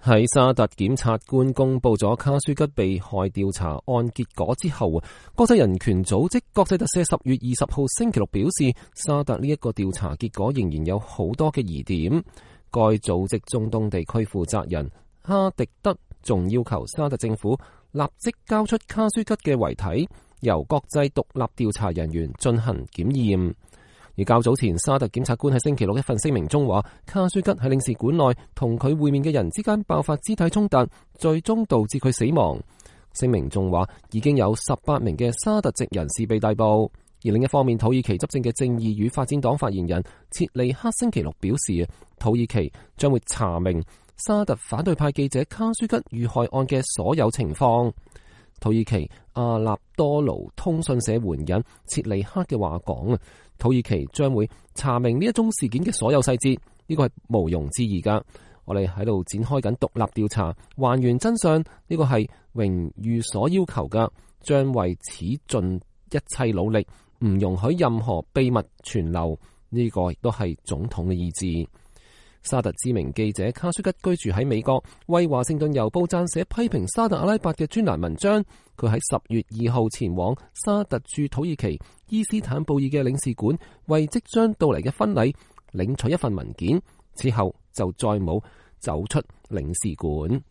喺沙特檢察官公布咗卡舒吉被害調查案結果之後，國際人權組織國際特赦10月20號星期六表示，沙特呢一個調查結果仍然有好多嘅疑點。該組織中東地區負責人哈迪德仲要求沙特政府立即交出卡舒吉嘅遺體，由國際獨立調查人員進行檢驗。而較早前，沙特檢察官喺星期六一份聲明中話，卡舒吉喺領事館內同佢會面嘅人之間爆發肢體衝突，最終導致佢死亡。聲明仲話，已經有18名嘅沙特籍人士被逮捕。而另一方面，土耳其執政嘅正義與發展黨發言人切利克星期六表示，土耳其將會查明沙特反對派記者卡舒吉遇害案嘅所有情況。土耳其阿納多盧通訊社援引切利克嘅話講，土耳其將會查明呢一宗事件嘅所有細節，呢個係毋庸置疑噶。我哋喺度展開緊獨立調查，還原真相，呢個係榮譽所要求噶，將為此盡一切努力，唔容許任何秘密存留，呢個亦都係總統嘅意志。沙特知名記者卡舒吉居住喺美國，為華盛頓郵報撰寫批評沙特阿拉伯嘅專欄文章。佢喺10月2號前往沙特駐土耳其伊斯坦布爾嘅領事館，為即將到嚟嘅婚禮領取一份文件，之後就再冇走出領事館。